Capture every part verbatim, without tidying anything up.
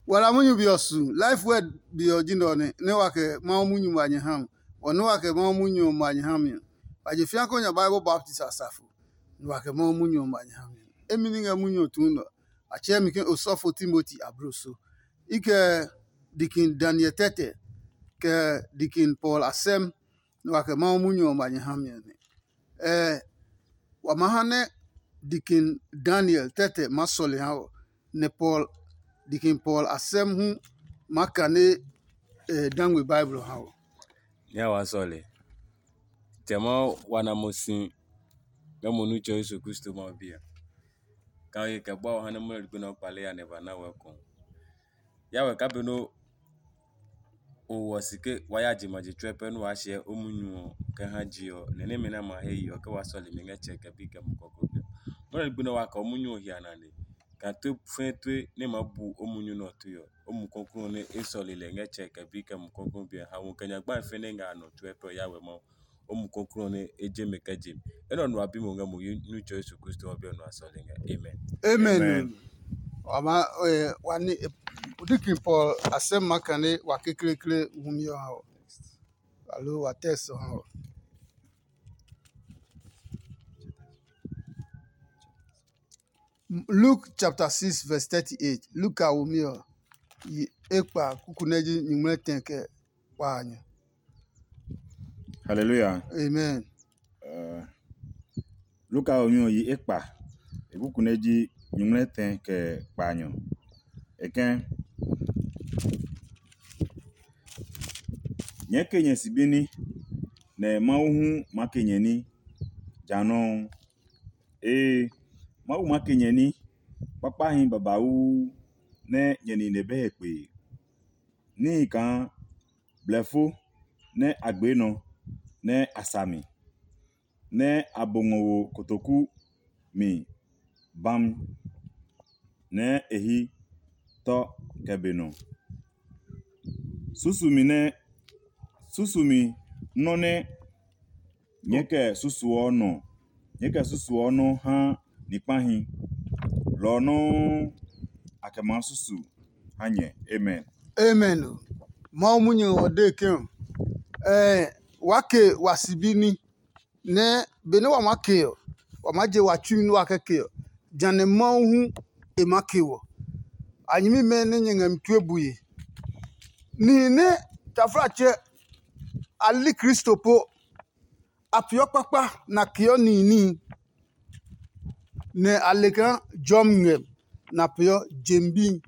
Wala munyu be ɔ su, Life Word be ɔ ji nɛ ɔ nɛ, nɛ wa kɛ Mawu munyu ma nyɛ ha mi. Wɔ nɛ wa kɛ Mawu munyu ɔ ma nyɛ ha mi ɔ, wa je fĩa kɔ nya Bible baptist asafo, nɛ wa kɛ Mawu munyu ɔ ma nyɛ ha mi. Emi ní ngɛ munyu ɔ tuu nɛ ɔ, a tsɛɛ mi ke osɔfo Timoti abloso. I kɛ Dikin Daniel tɛtɛ, kɛ Dikin Paul asɛm, nɛ wa kɛ Mawu munyu ɔ ma nyɛ ha mi ɔ nɛ. Ɛɛ, wa maa ha nɛ Dikin Daniel tɛtɛ maa sɔle ha wɔ, nɛ Paul, Dikin Paul asɛm hu maa kane e dangbe Bible ha wɔ. Nyɛ wa sɔle. Tɛ Mawu wa na mo si ngɛ mo Nitsɛ Yesu Kristo Mawu biɛ. Ka ye kɛ bua wɔ ha nɛ mo lɛ gbe nɛ o kpale ya nɛ ba na wɛ kɔ. Ya wɛ ka be nɛ o wɔ si ke wa ya je ma je tsuɛ pɛ nɛ waa hyɛ o munyu ɔ kɛ ha je ɔ, nɛ nɛmɛ nɛ a ma he yi ɔ, ke wa sɔle mi ngɛ Tsɛ kɛ Bi kɛ Mumi Klɔuklɔu ɔ. Mo lɛ gbe nɛ wa kɛ o munyu ɔ hia nane, kaa tue fɛɛ tue nɛ e maa bu o munyu nɛ ɔ tue ɔ, o Mumi Klɔuklɔu ɔ nɛ e sɔle lɛ ngɛ Tsɛ kɛ Bi kɛ Mumi Klɔuklɔu ɔ biɛ ha wo kɛ nyagba fɛɛ nɛ ngɛ a nɔ tsuɛ pɛ ɔ ya wɛ Mawu. O Mumi Klɔuklɔu ɔ nɛ e je mɛ kɛ je mi. Enɛ ɔ nu a bi mo ngɛ mo yi Nitsɛ Yesu Kristo ɔ biɛ nɔ a sɔle ngɛ. Amen. Amen. Amen. Wa ma eh, wa ni eh, Dikin Paul asɛm ma kane wa kekleekle wumi ɔ ha wɔ. Alo wa text ɔ ha wɔ. Luke chapter six verse thirty-eight. Luka wumi ɔ yi ekpa kuku nɛ ji nyingmlɛ tɛ kɛ kpaanyɔ. Hallelujah. Amen. Uh, Luka wumi ɔ yi ekpa, e kuku nɛ ji nyingmlɛ tɛ kɛ kpaanyɔ. E kɛ̃, nyɛɛ ke nyɛ sibini, nɛ Mawu hu maa ke nyɛ ní ja nɔuu. Ee, Mawu maa ke nyɛ ní kpakpahi babauu nɛ nyɛ nine be he kpee. Níhi kaa blɛfo nɛ a gbee nɔ nɛ a sa mi, nɛ a bo ngɔ wo kotoku mi bami, nɛ e hí tɔ kɛ be nɔ. Susumi nɛ susumi nɔ́ nɛ nyɛɛ kɛ susuɔ nɔ, nyɛɛ kɛ susuɔ nɔ́ ha ni kpahi, lɔ ɔ nɔuu a kɛ maa susu ha nyɛ. Amen. Amen. Mawu munyu ɔ de ke ɔ, eh, wa ke wa sibi ní nɛ benɛ wa maa ke ɔ, wa maa je wa tsui nɛ wa kɛ ke ɔ, jã nɛ Mawu hu e maa ke wɔ. A nyɛmimɛ nɛ nyɛ ngɛ mi tue bue. Nihi nɛ taflatsɛ a li Kristo po, a peeɔ kpakpa nɛ a keɔ nihi níhi, nɛ a le kaa jɔmi ngɛ nɛ a peeɔ jemi bihi,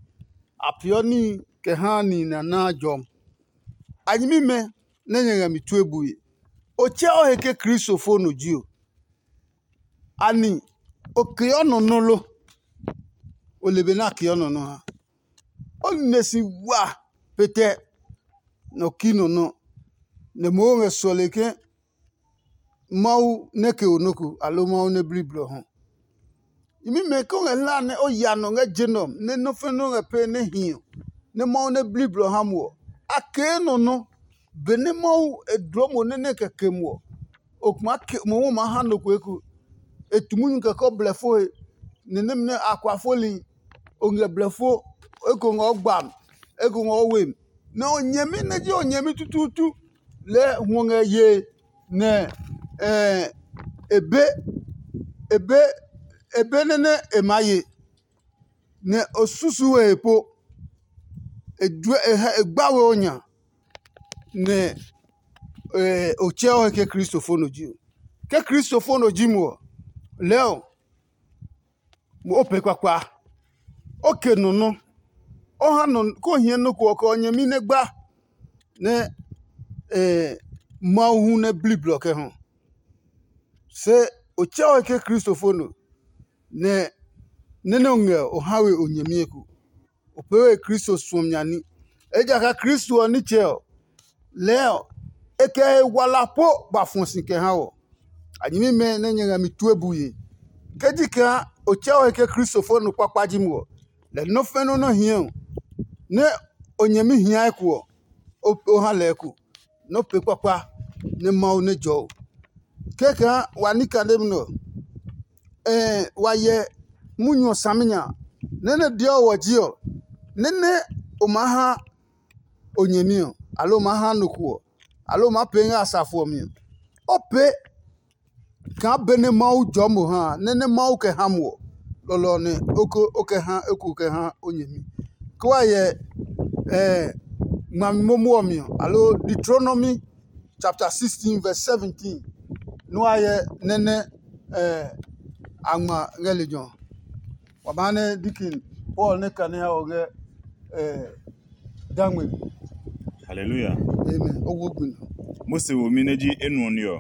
a peeɔ níhi kɛ haa nihi nɛ a naa jɔmi. A nyɛmimɛ nɛ nyɛ ngɛ mi tue bue. O tsɛ o he ke Kristo fo nɔ ji o. Ani o keɔ nɔ nɔ́ lo? O le be nɛ a keɔ nɔ nɔ́ ha. O nine si wa pete nɛ o ki nɔ nɔ́, nɛ mohu ngɛ suɔle ke Mawu nɛ ke o nɔ́ ko, aloo Mawu nɛ bli blɔ hɔ. Nyɛmimɛ ke o ngɛ hlaa nɛ o ya nɔ ngɛ je nɛ ɔ, nɛ nɔ́ fɛnɛ nɔ́ ngɛ pee nɛ hi ɔ, nɛ Mawu nɛ bli blɔ ha mo ɔ, a kee nɔ nɔ́. Benɛ Mawu e dloo mo nɛ nɛ kɛ ke mo ɔ, o kuma ke mohu maa ha nɔ ko eko. E tu munyu kɛ kɔ blɛfo he, nɛ nɛmɛ nɛ a kua foli, o ngɛ blɛfo, eko ngɛ o gbam, eko ngɛ o wem. Nɛ o nyɛmi nɛ ji o nyɛmi tutuutu lɛɛ hwɔ ngɛ yee, nɛ eh, e be e be e be nɛ nɛ e maa ye, nɛ o susu we he po, e juɛ e hɛ e gba we o nya, nɛ eh, o tsɛ o he ke Kristo fo nɔ ji o. Ke Kristo fo nɔ ji mo ɔ, lɛɛ ɔ mo o pee kpakpa, o ke nɔ nɔ́, o ha nɔ ko hiɛ nɔ ko ɔ kɛ o nyɛmi nɛ gba nɛ eh, Mawu hu nɛ bli blɔ kɛ hɔ. Se o tsɛ o he ke Kristo fo nɔ, nɛ nɛ nɛ o ngɛ o ha we o nyɛmi eko. O pee we Kristo suɔmi nya ní. Ejakaa Kristo ɔ nitsɛ ɔ, lɛɛ ɔ, e kɛ he wala po ba fɔ si kɛ ha wɔ. A nyɛmimɛ nɛ nyɛ ngɛ mi tue bue. Ke ji kaa o tsɛ o he ke Kristo fo nɔ kpakpa ji mo ɔ, lɛ nɔ́ fɛnɛ nɔ́ hiɛ ɔ, nɛ o nyɛmi hia eko ɔ, o o ha lɛ eko, nɔ́ pee kpakpa nɛ Mawu nɛ jɔɔ o. Kɛkɛɛ wa ní kane nɛ ɔ, ɛɛ wa hyɛ munyu ɔ saminya. Nɛ́ nɛ deɔ wɔ ji ɔ, nɛ́ nɛ o maa ha o nyɛmi ɔ, aloo o maa ha nɔ ko ɔ, aloo o maa pee ngɛ asafo ɔ mi ɔ, o pee kaa benɛ Mawu jɔɔ mo ha a, nɛ nɛ Mawu kɛ ha mo ɔ, lɔlɔ ɔ nɛ o ko o kɛ ha eko kɛ ha o nyɛmi. Ke wa hyɛ ngmami momo ɔ mi ɔ, aloo Deuteronomy chapter sixteen verse seventeen, nɛ wa hyɛ nɛ nɛ a ngma ngɛ lejɛ ɔ. Wa maa nɛ dikin Paul nɛ kane ha ɔ ngɛ dangme mi. Haleluya. Amen. O wo gbi nɔ. Mose womi nɛ ji enuɔ ní ɔ,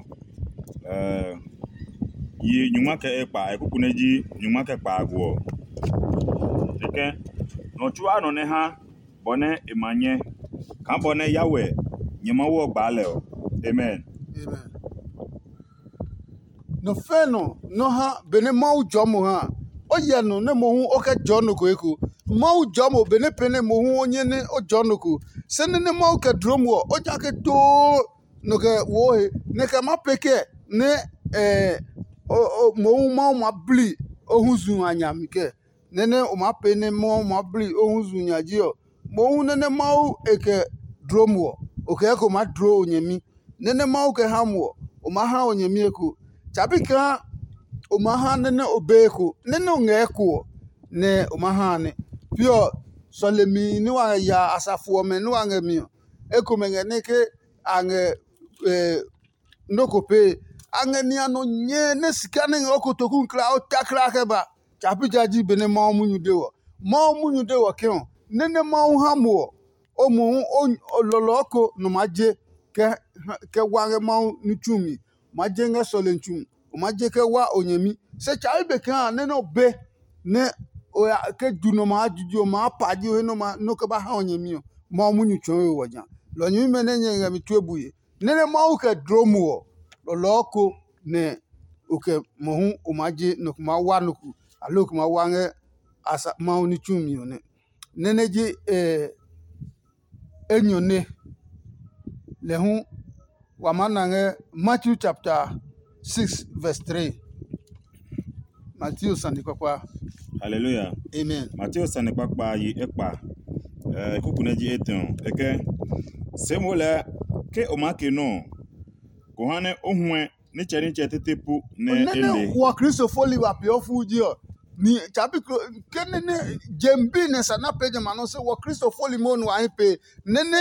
yi nyungma kɛ ekpa, e kuku nɛ ji nyungma kɛ kpaago ɔ. Kɛkɛ, nɔ tsuaa nɔ nɛ ha bɔ nɛ e ma nyɛ, kaa bɔ nɛ Yahweh nyɛ Mawu ɔ gbaa lɛ ɔ. Amen. Amen. Nɔ fɛ̃ nɔ nɔ ha benɛ Mawu jɔɔ mo ha a, o hyɛ nɔ nɛ mohu o kɛ jɔɔ nɔ ko eko. Mawu jɔɔ mo benɛ pɛnɛ mohu o nyɛ nɛ o jɔɔ nɔ ko. Se nɛ nɛ Mawu kɛ dloo mo ɔ, o jake too nɔ kɛ woo he, nɛ kɛ ma pee kɛ nɛ mohu Mawu ma bli o hu zu a nya mi kɛ. Nɛ nɛ o maa pee nɛ Mawu maa bli o hu zu nya ji ɔ, mohu nɛ nɛ Mawu e kɛ dloo mo ɔ, o kɛ eko maa dloo o nyɛmi. Nɛ nɛ Mawu kɛ ha mo ɔ, o maa ha o nyɛmi eko. Tsabi kaa o maa ha nɛ nɛ o be eko, nɛ nɛ o ngɛ eko ɔ, nɛ o maa ha a nɛ. Pi ɔ, sɔlemi nɛ wa ngɛ ya asafo ɔmɛ nɛ wa ngɛ mi ɔ, ekomɛ ngɛ nɛ ke a ngɛ nɔ́ ko pee. A ngɛ ninya nɔ nyɛɛ nɛ sika nɛ ngɛ o kotoku kla o ta kla kɛ ba. Tsa pi ja ji benɛ Mawu munyu de wɔ. Mawu munyu de wɔ ke ɔ, nɛ nɛ Mawu ha mo ɔ, o mohu o lɔlɔɔ ko nɔ maa je kɛ wa ngɛ Mawu ní tsu mi. O maa je ngɛ sɔlemi tsu mi. O maa je kɛ wa o nyɛmi. Se tsa pi be kaa nɛ nɛ o be nɛ o ya ke ju nɔ maa juju ɔ maa pa ji o he nɔ ma nɔ kɛ ba ha o nyɛmi ɔ, Mawu munyu tsɔɔ we wɔ ja. Lɔ nyɛmimɛ nɛ nyɛ ngɛ mi tue bue. Nɛ nɛ Mawu kɛ dloo mo ɔ, lɔlɔɔ ko nɛ o kɛ mohu o maa je nɔ ko maa wa nɔ ko, aloo ko maa wa ngɛ Mawu ní tsumi ɔ nɛ. Nɛ nɛ ji enyɔ nɛ. Lɛ hu wa maa na ngɛ Matthew chapter six verse three. Mateo sane kpakpa. Haleluya. Amen. Mateo sane kpakpa yi ekpa, eh, kuku nɛ ji etɛ ɔ. E kɛ, se mo lɛ ke o maa ke nɔ ɔ, ko ha nɛ o huɛ nitsɛ nitsɛ tete pu nɛ e le. Nɛ wɔ Kristo fo li wa peeɔ fuu ji ɔ, ni tsabi ke nɛ nɛ jem bi nɛ sa na pee jamɛ a nɔ se wɔ Kristo fo li mo nu a hi pee. Nɛ nɛ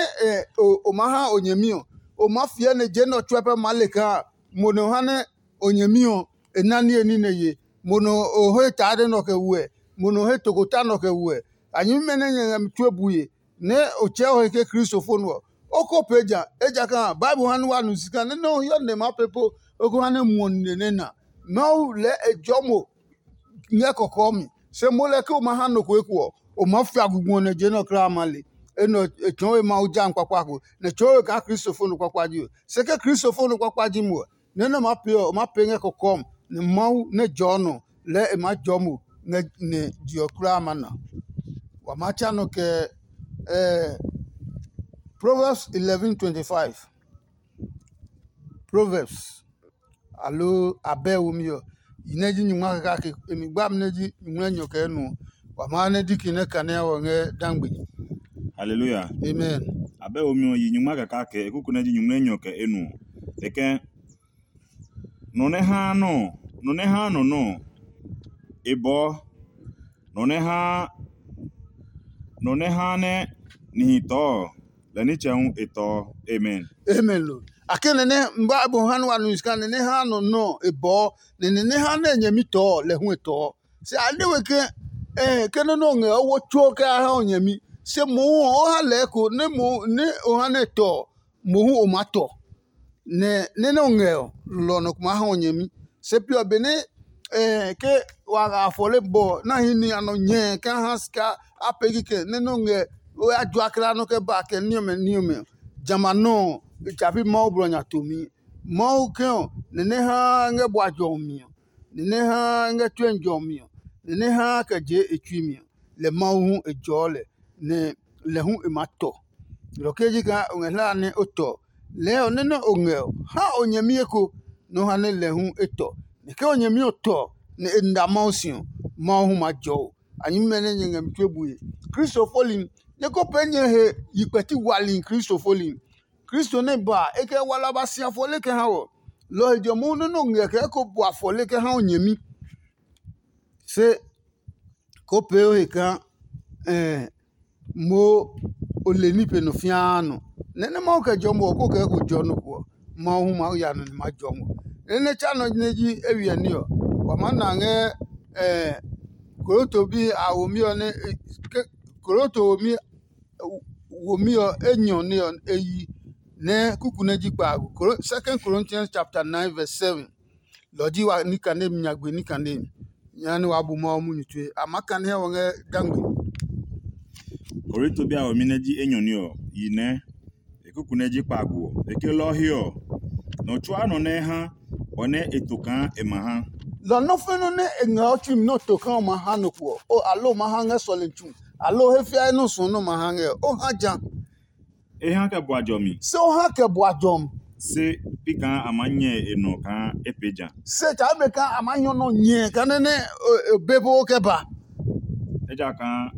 o maa ha o nyɛmi ɔ, o maa fiɛ nɛ je nɛ ɔ tsuɛ pɛ maa le kaa mo nɔ ha nɛ o nyɛmi ɔ, e na niye ní nɛ ye. Mo nɔ o he taa nɛ nɔ kɛ wuɛ, mo nɔ he tokota nɔ kɛ wuɛ. A nyɛmimɛ nɛ nyɛ ngɛ mi tue bue, nɛ o tsɛɛ o he ke Kristo fo nɔ ɔ, o ko pee ja, ejakaa Bible ha nɛ wa nu si kaa nɛ nɛ o hiɔ nɛ ma pee po, o ko ha nɛ muɔ nine nɛ na. Mawu lɛɛ e jɔɔ mo ngɛ kɔkɔɔ mi. Se mo lɛ ke o ma ha nɔ ko eko ɔ, o maa fia gugbu ɔ nɛ je nɛ ɔ kulaa ma le. Enɛ ɔ e tsɔɔ we Mawu ja kpakpa ko, nɛ tsɔɔ we kaa Kristo fo nɔ kpakpa ji we. Se ke Kristo fo nɔ kpakpa ji mo ɔ, nɛ nɛ o maa pee ɔ, o maa pee ngɛ kɔkɔɔ mi, nɛ Mawu nɛ jɔɔ nɔ lɛɛ e maa jɔɔ mo ngɛ nɛ je ɔ kulaa ma na. Wa maa tsa nɔ kɛ Proverbs eleven twenty-five. Proverbs aloo abɛ womi ɔ, yi nɛ ji nyungma kake, e mi gbami nɛ ji nyungmlɛ nyɔ kɛ enuɔ. Wa maa nɛ diki nɛ kane a wɔ ngɛ dangbe. Haleluya. Amen. Abɛ womi ɔ yi nyungma kake, e kuku nɛ ji nyungmlɛ nyɔ kɛ enuɔ. E kɛ, nɔ nɛ haa nɔ, nɔ nɛ haa nɔ nɔ, e bɔɔ. Nɔ nɛ haa nɔ nɛ haa nɛ nihi tɔɔ, lɛ nitsɛ hu e tɔɔ. Amen. Amen lo. A ke nɛ nɛ Bible ha nɛ wa nu sika nɛ nɛ ha nɔ nɔ e bɔɔ, nɛ nɛ nɛ ha nɛ nyɛmi tɔɔ lɛ hu e tɔɔ. Se a de we ke eh ke nɛ nɔ ngɛ o wo tsuo kɛ a ha o nyɛmi. Se mohu ɔ o ha lɛ ko nɛ mo nɛ o ha nɛ tɔ mohu o ma tɔ. Nɛ nɛ nɛ o ngɛ ɔ, lɔ nɔ ko maa ha o nyɛmi. Se pi ɔ benɛ ke wa ngɛ afɔle bɔ na hi ni a nɔ nyɛɛ kɛ ha sika a pee kikɛ nɛ nɛ o ngɛ o ya jua kla nɔ kɛ ba kɛ ní ɔmɛ ní ɔmɛ ɔ, jamɛ a nɔ ɔ, e tsa pi Mawu blɔ nya tomi. Mawu kɛ ɔ, nɛ nɛ ha ngɛ bua jɔmi ɔ, nɛ nɛ ha ngɛ tue jɔmi ɔ, nɛ nɛ ha kɛ je e tsui mi ɔ, lɛ Mawu hu e jɔɔ lɛ, nɛ lɛ hu e maa tɔ. Lɔ kɛ ji kaa o ngɛ hlaa nɛ o tɔ. Lɛɛ ɔ nɛ nɛ o ngɛ ɔ, ha o nyɛmi eko nɛ o ha nɛ lɛ hu e tɔ. Nɛ ke o nyɛmi ɔ tɔ nɛ e nda Mawu si ɔ, Mawu hu ma jɔ o. A nyɛmimɛ nɛ nyɛ ngɛ mi tue bue. Kristo foli Nyɛ ko pee nyɛ he yi kpɛti wali Kristo foli. Kristo nɛ ba e kɛ wala ba si afɔle kɛ ha wɔ. Lɔ he jɔmi nɔ́ nɔ ngɛ kɛ ko bu afɔle kɛ ha o nyɛmi. Se ko pee o he kaa mo o le ní pe nɔ fiaa nɔ. Nɛ nɛ Mawu kɛ jɔmi ɔ ko kɛ ko jɔ nɔ ko ɔ, Mawu hu maa ya nɔ nɛ ma jɔ mo. Nɛ nɛ tsa nɔ nɛ ji eywiɛ ní ɔ, wa maa na ngɛ Korinto bi a womi ɔ nɛ Korinto womi womi ɔ enyɔ nɛ ɔ e yi nɛ kuku nɛ ji kpaago. Second Corinthians chapter nine verse seven. Lɔ ji wa nikane mi nyagbe nikane mi. Nya ni wa bu Mawu munyu tue. A ma kane hɛ wɔ ngɛ dangbe. Korinto bi a womi nɛ ji enyɔ ní ɔ yi nɛ e kuku nɛ ji kpaago ɔ. E ke lɔ ɔ he ɔ, nɔ tsuaa nɔ nɛ e ha bɔ nɛ e to kaa e ma ha. Lɔ nɔ́ fɛnɔ nɛ e ngɛ ɔ tsui mi nɛ o to kaa o ma ha nɔ ko ɔ, o alo o ma ha ngɛ sɔlemi tsu, alo he fiae nɔ́ suɔ nɛ o ma ha ngɛ ɔ, o ha ja. E ha kɛ bua jɔmi. Se o ha kɛ bua jɔmi. Se pi kaa a maa nyɛ e nɔ kaa e pee ja. Se kaa be kaa a maa nyɔ nɔ nyɛ kaa nɛ nɛ e be po kɛ ba. Ejakaa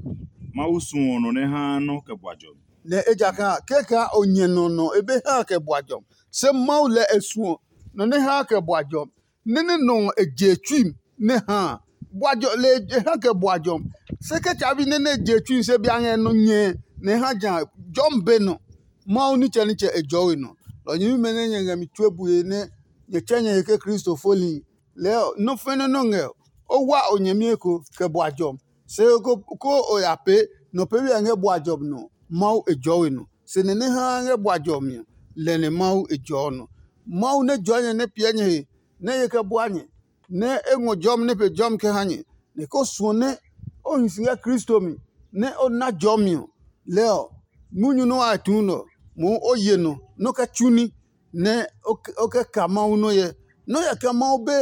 Mawu suɔ nɔ nɛ haa nɔ́ kɛ bua jɔmi. Nɛ ejakaa kɛkaa o nyɛ nɔ nɔ e be ha kɛ bua jɔmi. Se Mawu lɛ e suɔ nɔ nɛ ha kɛ bua jɔmi. Nɛ nɛ nɔ ɔ e je tsui nɛ ha a. Bua jɔ le e ha kɛ bua jɔmi. Se kɛ tsa bi nɛ nɛ e je tsui se bia ngɛ nɔ nyɛ nɛ e ha ja jɔmi be nɔ. Mawu nitsɛnitsɛ e jɔɔ we nɔ. Lɔ nyɛmimɛ nɛ nyɛ ngɛ mi tue bue nɛ nyɛ tsɛ nyɛ he ke Kristo foli, lɛɛ ɔ, nɔ́ fɛnɛ nɔ́ ngɛ ɔ, o wa o nyɛmi eko kɛ bua jɔmi. Se ko o ya pee nɔ peebi a ngɛ bua jɔmi nɔ, Mawu e jɔɔ we nɔ. Se nɛ nɛ haa ngɛ bua jɔmi ɔ, lɛ nɛ Mawu e jɔɔ nɔ. Mawu nɛ jɔɔ nyɛ nɛ piɛ nyɛ he nɛ ye kɛ bua nyɛ, nɛ e ngɔ jɔmi nɛ pe jɔmi kɛ ha nyɛ, nɛ ko suɔ nɛ o hi si ngɛ Kristo mi, nɛ o na jɔmi ɔ, lɛ ɔ, munyu nɛ wa tu nɔ mohu o ye nɔ nɔ́ kɛ tsu ní, nɛ o kɛ ka Mawu nɔ́ hyɛ. Nɔ́ hyɛ kɛ Mawu be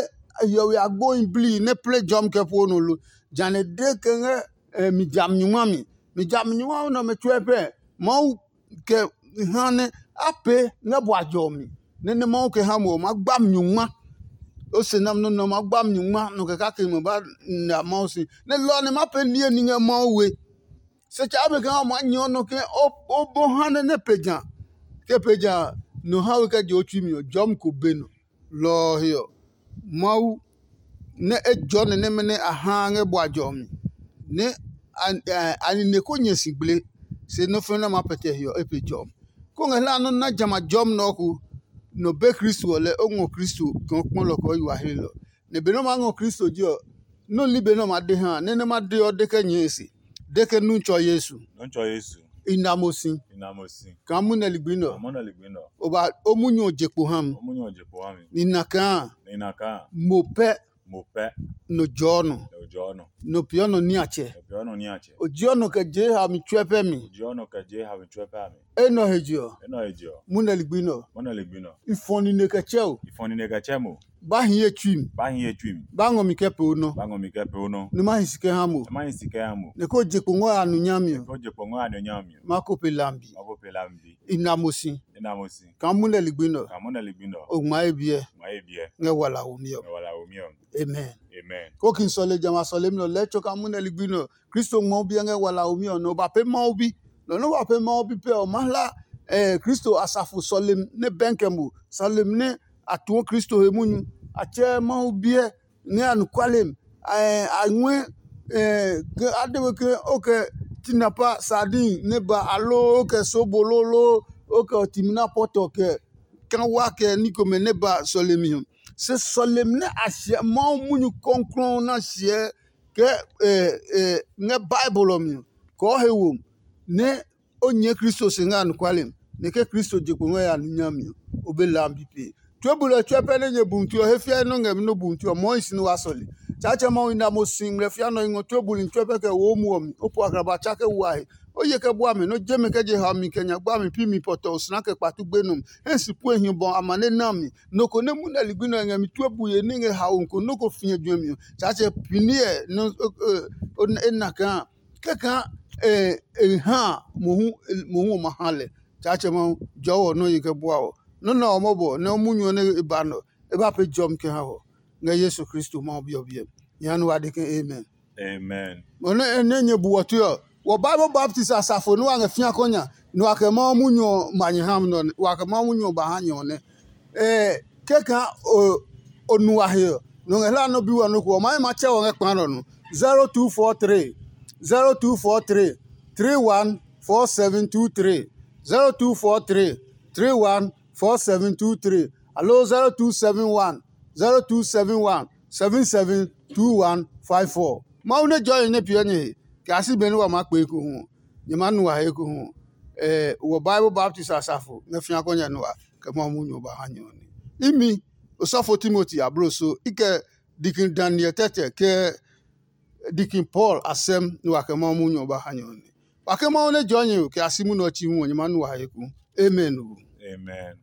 hiɔwe agbohi blii nɛ plɛ jɔmi kɛ poo nɔ lo? Jane de kɛ ngɛ mi jami nyungma mi. Mi jami nyungma nɛ ɔmɛ tsuɛ pɛ Mawu kɛ ha nɛ a pee ngɛ bua jɔ mi, nɛ nɛ Mawu kɛ ha mo ɔ, ma gba mi nyungma. O se nami nɔ́ nɛ ɔ ma gba mi nyungma nɔ kɛ kake ma ba na Mawu si. Nɛ lɔ ɔ nɛ ma pee niye ní ngɛ Mawu we. Se tsɛ be kaa o maa nyɛ nɔ ke o bɔ ha nɛ nɛ pe ja. Ke pe ja nɔ ha we kɛ je o tsui mi ɔ, jɔmi ko be nɔ. Lɔ ɔ he ɔ, Mawu nɛ e jɔ nɛ nɛmɛ nɛ a haa ngɛ bua jɔmi, nɛ a nine ko nyɛ si gble, se nɔ́ fɛ̃ nɛ ma pɛtɛ he ɔ, e pe jɔmi. Ko ngɛ hlaa nɔ́ na jamɛ a jɔmi nɛ ɔ ko, nɔ be Kristo ɔ lɛ o ngɔ Kristo kaa o kpɔ lɔ kɛ o yi wa hlelɔ. Nɛ benɛ o maa ngɔ Kristo je ɔ, nɔ́ li be nɛ o ma de ha a, nɛ nɛ ma de ɔ de kɛ nyɛɛ e se, de ke nu tsɔ Yesu. Nɔ́ tsɔ Yesu. I na mo si. I na mo si. Kaa munɛ ligbi nɛ ɔ. Kaa munɛ ligbi nɛ ɔ. O ba o munyu ɔ je kpo ha mi. O munyu ɔ je kpo ha mi. Ni na kaa. Ni na kaa. Mo pɛ. Mo pɛ. Nɔ jɔɔ nɔ. Nɔ jɔɔ nɔ. Nɔ piɔ nɔ niatsɛ. Nɔ piɔ nɔ niatsɛ. O jiɔ nɔ kɛ je ha mi tsuɛ pɛ mi. O jiɔ nɔ kɛ je ha mi tsuɛ pɛ mi. Enɛ ɔ he je ɔ. Enɛ ɔ he je ɔ. Munɛ ligbi nɛ ɔ. Munɛ ligbi nɛ ɔ. I fɔ nine kɛ tsɛ o. I fɔ nine kɛ tsɛ mo. Ba hi ye tsui mi. Ba hi ye tsui mi. Ba ngɔ mi kɛ pee o nɔ. Ba ngɔ mi kɛ pee o nɔ. Nɛ ma hi si kɛ ha mo. Nɛ ma hi si kɛ ha mo. Nɛ ko je kpo ngɔ ya nu nyami ɔ. Ko je kpo ngɔ ya nu nyami ɔ. Ma ko pe lambi. Ma ko pe lambi. I na mo si. I na mo si. Kaa munɛ ligbi nɛ ɔ. Kaa munɛ ligbi nɛ ɔ. O ngma ye biɛ. Ngma ye biɛ. Ngɛ wala wo mi ɔ. Ngɛ wala wo mi ɔ. Amen. Amen. Ko ki sɔle jamɛ a sɔlemi nɛ ɔ lɛɛ tso kaa munɛ ligbi nɛ ɔ. Kristo ngmɔ biɛ ngɛ wala wo mi ɔ nɛ o ba pee Mawu bi. Nɔ nɛ wa pee Mawu bi pɛ ɔ ma hla Kristo asafo sɔlemi nɛ bɛnkɛ mo, sɔlemi nɛ a tuɔ Kristo he munyu. A tsɛɛ Mawu biɛ ngɛ anɔkuale mi. A ngɔɛ ke a de we ke o kɛ tinapa sardin nɛ ba aloo o kɛ sobo loo loo o kɛ timina pɔtɔ kɛ kawa kɛ ní komɛ nɛ ba sɔlemi ɔ. Se sɔlemi nɛ a hyɛ Mawu munyu kɔklɔɔ nɛ a hyɛ kɛ ngɛ Bible ɔ mi ɔ, kɔɔ he wo nɛ o nyɛɛ Kristo se ngɛ anɔkuale mi, nɛ ke Kristo je kpo ngɛ ya nu nyami ɔ, o be lambi pee. Tue bulɔ tsuɛ pɛ nɛ nyɛ bumi tue ɔ he fiae nɔ́ ngɛ mi nɔ́ bumi tue ɔ, mɔɔ hi si nɛ waa sɔle. Tsaatsɛ Mawu i na mo si ngmlɛ fia nɔ i ngɔ tue buli tsuɛ pɛ kɛ wo o muɔ mi, o po akraba tsa kɛ wa he. O ye kɛ bua mi, nɔ́ je mi kɛ je haomi kɛ nyagba mi pi mi pɔtɔ osina kɛ kpatu gbenɔ mi. Hɛ si pue hi bɔ amane na mi. Nɔ ko nɛ munɛ ligbi nɛ ɔ ngɛ mi tue bue nɛ ngɛ haomi ko nɔ́ ko fiɛ juɛmi ɔ, Tsaatsɛ piniɛ nɛ e na kaa kɛkaa e ha mohu mohu ɔ ma ha lɛ. Tsaatsɛ Mawu, jɔɔ wɔ nɔ́ yi kɛ bua wɔ. Nɔ́ nɛ ɔ mɔbɔ nɛ o munyu ɔ nɛ e ba nɔ, e ba pee jɔmi kɛ ha wɔ. Ngɛ Yesu Kristo Mawu Bi ɔ biɛ mi. Nyɛ ha nɛ wa de ke amen. Amen. Mo nɛ nɛ nyɛ bu wɔ tue ɔ, Wɔ Bible Baptist asafo nɛ wa ngɛ fĩa kɔ nya, nɛ wa kɛ Mawu munyu ɔ ma nyɛ ha nɔ nɛ, wa kɛ Mawu munyu ɔ ba ha nyɛ ɔ nɛ. Ɛɛ, kɛkɛ o o nu wa he ɔ, nɔ ngɛ hla nɔ bi wɔ nɔ ko ɔ, ma ye ma tsɛ wɔ ngɛ kpa nɔ nu. zero two four three, zero two four three, three one four seven two three, zero two four three, three one four seven two three, aloo zero two seven one, zero two seven one, seven seven two one five four. Mawu nɛ jɔe nɛ piɛ nyɛ he, kɛ a si benɛ wa maa kpe ekohu ɔ, nyɛ maa nu a he ekohu ɔ. Ɛɛ, wɔ Bible Baptist asafo ngɛ fĩa kɔ nya nua kɛ Mawu munyu ɔ ba ha nyɛ ɔ nɛ. Imi, osɔfo Timoti abloso, i kɛ Dikin Daniel tɛtɛ kɛ Dikin Paul asɛm nua kɛ Mawu munyu ɔ ba ha nyɛ ɔ nɛ. Wa ke Mawu nɛ jɔɔ nyɛ kɛ a si munyu ɔ chi hu ɔ, nyɛ maa nu a he ekohu. Amen. Amen.